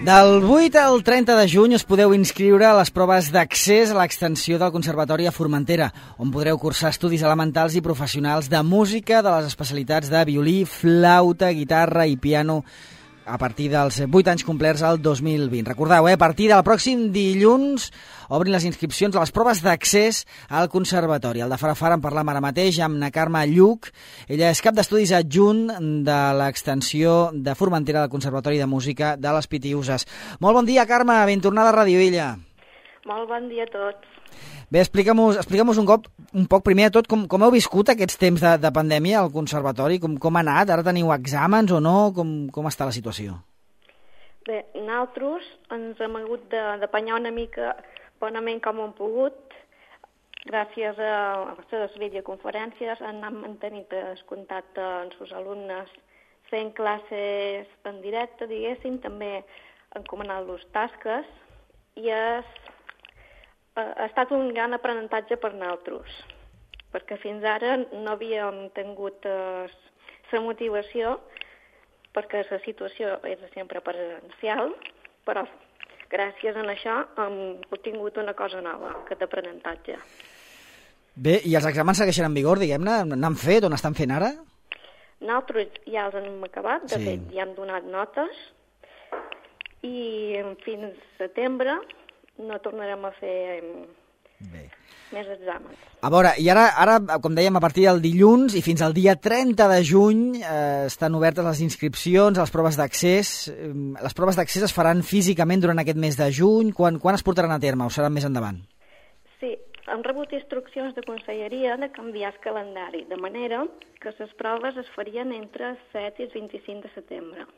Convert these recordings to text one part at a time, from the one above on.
Del 8 al 30 de juny us podeu inscriure a les proves d'accés a l'extensió del Conservatori a Formentera, on podreu cursar estudis elementals i professionals de música de les especialitats de violí, flauta, guitarra i piano a partir dels 8 anys complerts al 2020. Recordeu, a partir del pròxim dilluns obrin les inscripcions a les proves d'accés al Conservatori. El de Farafara en parlam ara mateix amb na Carme Lluc. Ella és cap d'estudis adjunt de l'extensió de Formentera del Conservatori de Música de les Pitiüses. Molt bon dia, Carme, ben tornada a Radio Illa. Molt bon dia a tots. Bé, explica'm un poc primer de tot com heu viscut aquests temps de pandèmia al Conservatori, com ha anat, ara teniu exàmens o no, com està la situació? Bé, nosaltres ens hem hagut d'apanyar una mica bonament com hem pogut, gràcies a les videoconferències han mantenit el contacte amb els alumnes fent classes en directe, diguéssim, també encomanant-los tasques, i ha estat un gran aprenentatge per nosaltres, perquè fins ara no havíem tingut la motivació, perquè la situació era sempre presencial, però gràcies a això hem obtingut una cosa nova, aquest aprenentatge. Bé, i els exàmens segueixen en vigor, diguem-ne? N'han fet o n'estan fent ara? Nosaltres ja els hem acabat, de fet ja hem donat notes, i fins setembre no tornarem a fer més exàmens. A veure, i ara, com dèiem, a partir del dilluns i fins al dia 30 de juny estan obertes les inscripcions a les proves d'accés. Les proves d'accés es faran físicament durant aquest mes de juny. Quan es portaran a terme o seran més endavant? Sí, hem rebut instruccions de conselleria de canviar el calendari, de manera que les proves es farien entre el 7 i el 25 de setembre.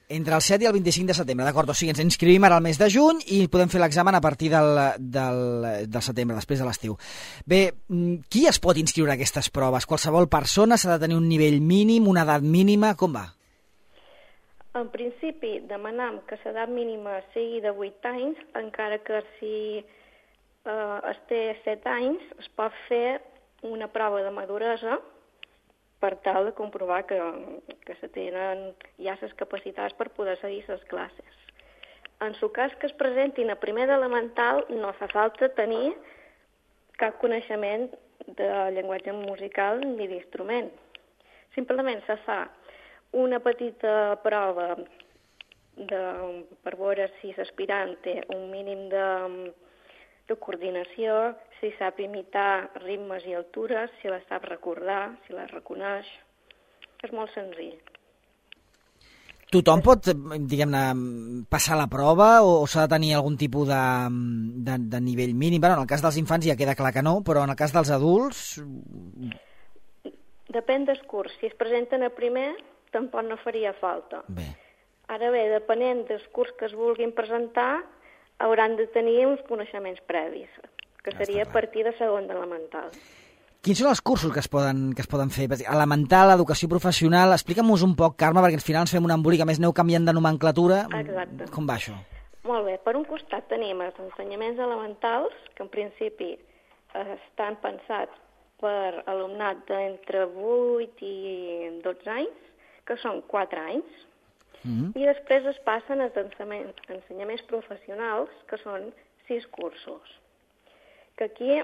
Entre el 7 i el 25 de setembre, d'acord. O sigui, ens inscrivim ara al mes de juny i podem fer l'examen a partir del setembre, després de l'estiu. Bé, qui es pot inscriure a aquestes proves? Qualsevol persona? S'ha de tenir un nivell mínim, una edat mínima? Com va? En principi, demanem que l'edat mínima sigui de 8 anys, encara que si es té 7 anys es pot fer una prova de maduresa per tal de comprovar que se tenen ja les capacitats per poder seguir les classes. En el cas que es presentin a primer d'elemental, no fa falta tenir cap coneixement de llenguatge musical ni d'instrument. Simplement se fa una petita prova per veure si l'aspirant té un mínim de coordinació, si sap imitar ritmes i altures, si la sap recordar, si la reconeix. És molt senzill. Tothom pot, diguem-ne, passar la prova o s'ha de tenir algun tipus de nivell mínim? Bueno, en el cas dels infants ja queda clar que no, però en el cas dels adults... Depèn del curs. Si es presenten a primer, tampoc no faria falta. Bé. Ara bé, depenent del curs que es vulguin presentar, hauran de tenir uns coneixements previs, que seria a partir de segon d'elemental. Quins són els cursos que es poden fer? Elemental, educació professional... Explica'm-nos un poc, Carme, perquè al final ens fem un embolic, a més aneu canviant de nomenclatura. Exacte. Com va això? Molt bé. Per un costat tenim els ensenyaments elementals, que en principi estan pensats per alumnat d'entre 8 i 12 anys, que són 4 anys, i després es passen als ensenyaments professionals, que són 6 cursos. Que aquí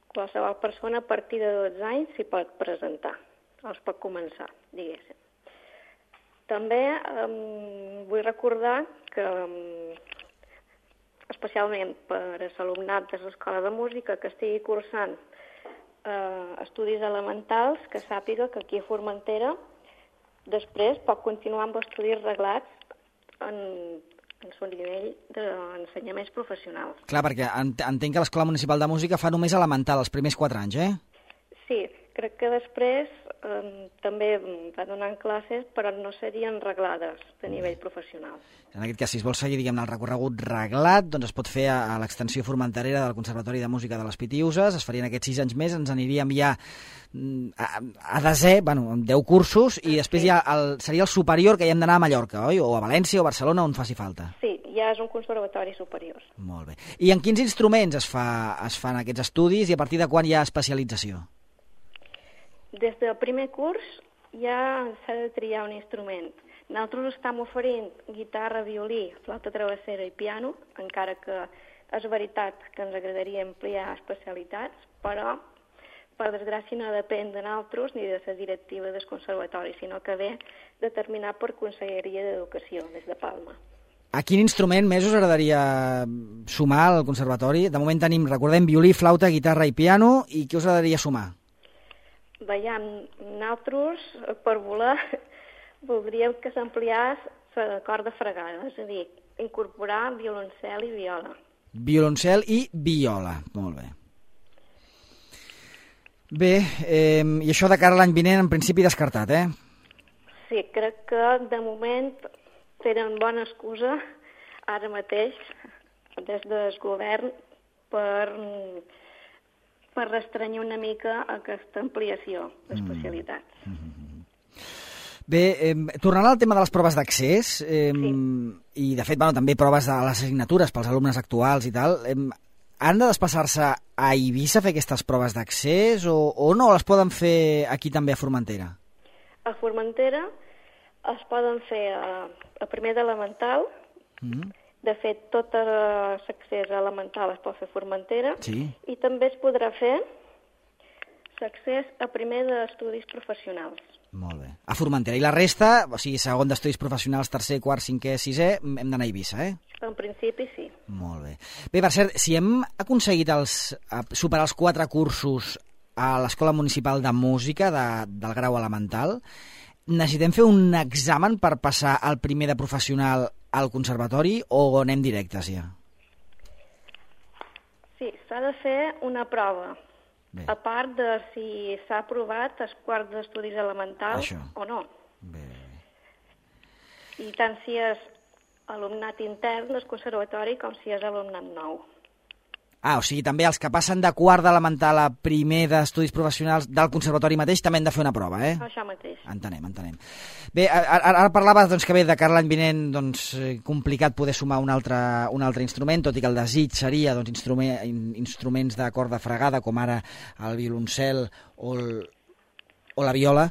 qualsevol persona a partir de 12 anys s'hi pot presentar, els pot començar, diguéssim. També vull recordar que, especialment per a l'alumnat de l'Escola de Música que estigui cursant estudis elementals, que sàpiga que aquí a Formentera després pot continuar amb estudis reglats en el nivell d'ensenyaments professionals. Clar, perquè entenc que l'Escola Municipal de Música fa només elemental, els primers 4 anys, Sí, crec que després també va donant classes, però no serien reglades de nivell professional. En aquest cas, si es vol seguir, diguem-ne, el recorregut reglat, doncs es pot fer a l'extensió formenterera del Conservatori de Música de les Pitiüses, es farien aquests 6 anys més, ens aniríem ja a desè, amb 10 cursos, i després ja seria el superior que hi hem d'anar a Mallorca, oi? O a València o a Barcelona, on faci falta. Sí, ja és un conservatori superior. Molt bé. I en quins instruments es fan aquests estudis i a partir de quan hi ha especialització? Des del primer curs ja s'ha de triar un instrument. Nosaltres estem oferint guitarra, violí, flauta travessera i piano, encara que és veritat que ens agradaria ampliar especialitats, però per desgràcia no depèn de nosaltres ni de la directiva del conservatori, sinó que ve determinat per Conselleria d'Educació des de Palma. A quin instrument més us agradaria sumar al conservatori? De moment tenim, recordem, violí, flauta, guitarra i piano, i què us agradaria sumar? Veiem, nosaltres, per voler, voldríem que s'ampliés la corda fregada, és a dir, incorporar violoncel i viola. Violoncel i viola, molt bé. Bé, i això de cara a l'any vinent, en principi descartat, Sí, crec que de moment tenen bona excusa ara mateix des del govern per restrenyir una mica aquesta ampliació d'especialitats. Bé, tornant al tema de les proves d'accés, i de fet també proves de les assignatures pels alumnes actuals i tal, han de desplaçar-se a Eivissa a fer aquestes proves d'accés o no les poden fer aquí també a Formentera? A Formentera es poden fer a primer d'elemental. De fet, tot l'accés elemental es pot fer a Formentera. I també es podrà fer l'accés a primer d'estudis professionals. Molt bé. A Formentera. I la resta, o sigui, segon d'estudis professionals, tercer, quart, cinquè, sisè, hem d'anar a Eivissa, En principi, sí. Molt bé. Bé, per cert, si hem aconseguit superar els 4 cursos a l'Escola Municipal de Música del grau elemental, necessitem fer un examen per passar al primer de professional al conservatori o anem directes ja? Sí, s'ha de fer una prova. Bé. A part de si s'ha aprovat els quarts d'estudis elementals o no. Bé. I tant si és alumnat intern del conservatori com si és alumnat nou. O sigui, també els que passen de quart d'elemental a primer d'estudis professionals del conservatori mateix també han de fer una prova, Això mateix. Entenem. Bé, ara parlaves que bé, de cara a l'any vinent complicat poder sumar un altre instrument, tot i que el desig seria instruments de corda fregada, com ara el violoncel o la viola,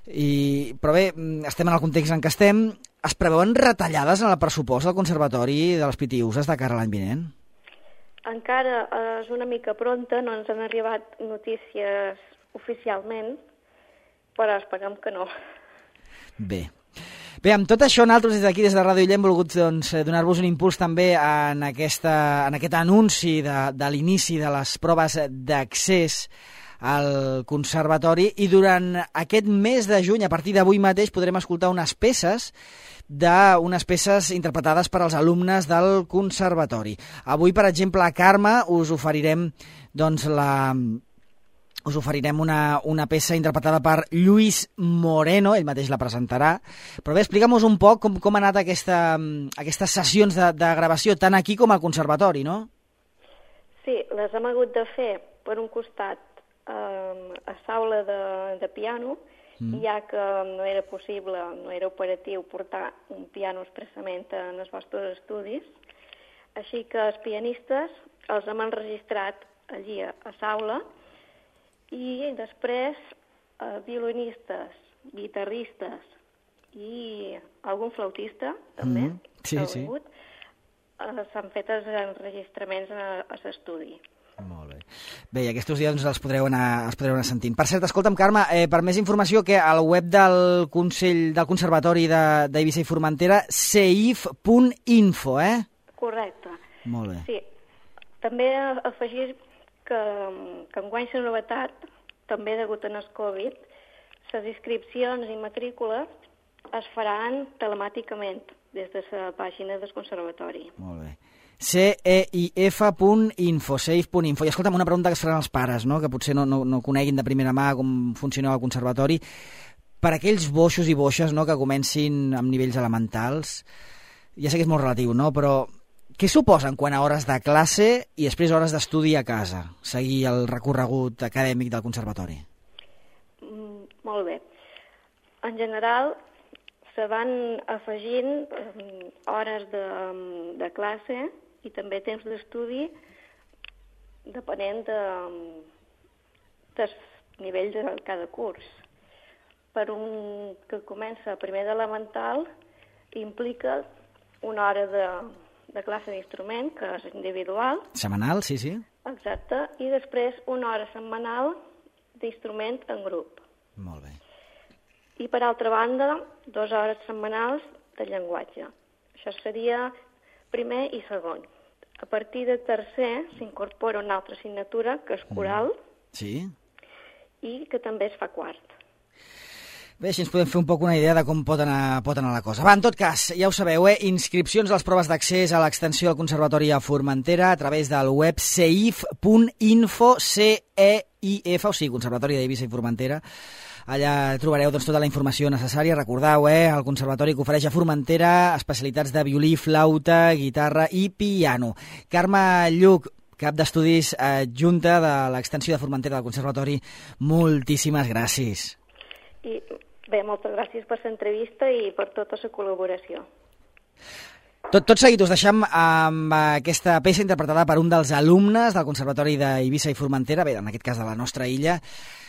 però bé, estem en el context en què estem. Es preveuen retallades en el pressupost del conservatori de les Pitiüses de cara a l'any vinent? Encara és una mica pronta, no ens han arribat notícies oficialment, però esperem que no. Bé, amb tot això, nosaltres des d'aquí, des de Ràdio Illa, hem volgut donar-vos un impuls també en aquest anunci de l'inici de les proves d'accés al conservatori, i durant aquest mes de juny, a partir d'avui mateix, podrem escoltar unes peces interpretades per als alumnes del conservatori. Avui, per exemple, a Carme us oferirem una peça interpretada per Lluís Moreno, ell mateix la presentarà. Però bé, explica'm-nos un poc com ha anat aquestes sessions de gravació, tant aquí com al conservatori, no? Sí, les hem hagut de fer, per un costat, a l'aula de piano, ja que no era possible, no era operatiu portar un piano expressament en els vostres estudis, així que els pianistes els hem enregistrat allí a l'aula, i després violinistes, guitarristes i algun flautista també, s'han fet els enregistraments a l'estudi. Molt bé. Bé, i aquests dies els podreu anar sentint. Per cert, escolta'm, Carme, per més informació, que al web del Consell del Conservatori d'Eivissa i Formentera, ceif.info, Correcte. Molt bé. Sí. També afegir que enguany la novetat, també degut al Covid, les inscripcions i matrícules es faran telemàticament des de la pàgina del Conservatori. Molt bé. ceif.info, ceif.info. I escolta'm, una pregunta que es faran els pares, no? Que potser no coneguin de primera mà com funciona el conservatori. Per aquells boixos i boixes, no?, que comencin amb nivells elementals, ja sé que és molt relatiu, no?, però què suposen quant a hores de classe i després hores d'estudi a casa, seguir el recorregut acadèmic del conservatori? Molt bé. En general, se van afegint hores de classe i també temps d'estudi depenent dels nivells de cada curs. per un que comença primer d'elemental, implica una hora de classe d'instrument, que és individual. Setmanal, sí, sí. Exacte, i després una hora setmanal d'instrument en grup. Molt bé. I per altra banda, 2 hores setmanals de llenguatge. Això seria primer i segon. A partir de tercer s'incorpora una altra assignatura, que és coral, Sí. i que també es fa quart. Bé, així ens podem fer un poc una idea de com pot anar la cosa. Va, en tot cas, ja ho sabeu, inscripcions a les proves d'accés a l'extensió del Conservatori a Formentera a través del web ceif.info, CEIF, o sigui, Conservatori d'Eivissa i Formentera. Allà trobareu tota la informació necessària. Recordeu, el Conservatori que ofereix a Formentera especialitats de violí, flauta, guitarra i piano. Carme Lluc, cap d'estudis adjunta de l'extensió de Formentera del Conservatori, moltíssimes gràcies. I bé, moltes gràcies per l'entrevista i per tota la col·laboració. Tot seguit us deixem amb aquesta peça interpretada per un dels alumnes del Conservatori d'Eivissa i Formentera, bé, en aquest cas de la nostra illa.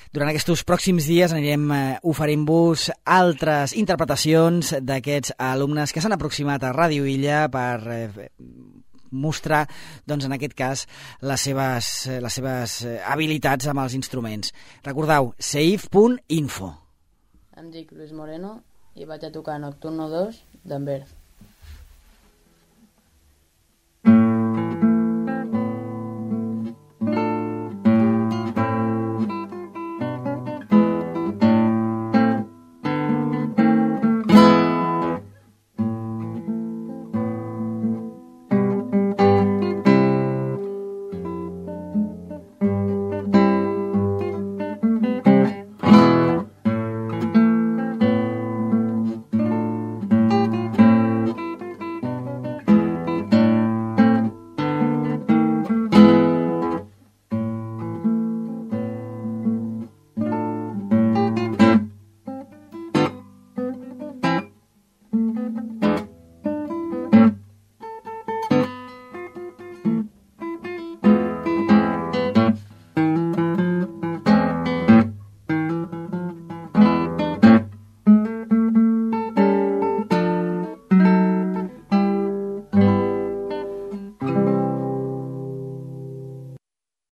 Durant aquests pròxims dies anirem oferint-vos altres interpretacions d'aquests alumnes que s'han aproximat a Ràdio Illa per mostrar, doncs, en aquest cas, les seves habilitats amb els instruments. Recordeu, ceif.info. Em dic Luis Moreno i vaig a tocar Nocturno 2 d'Envers.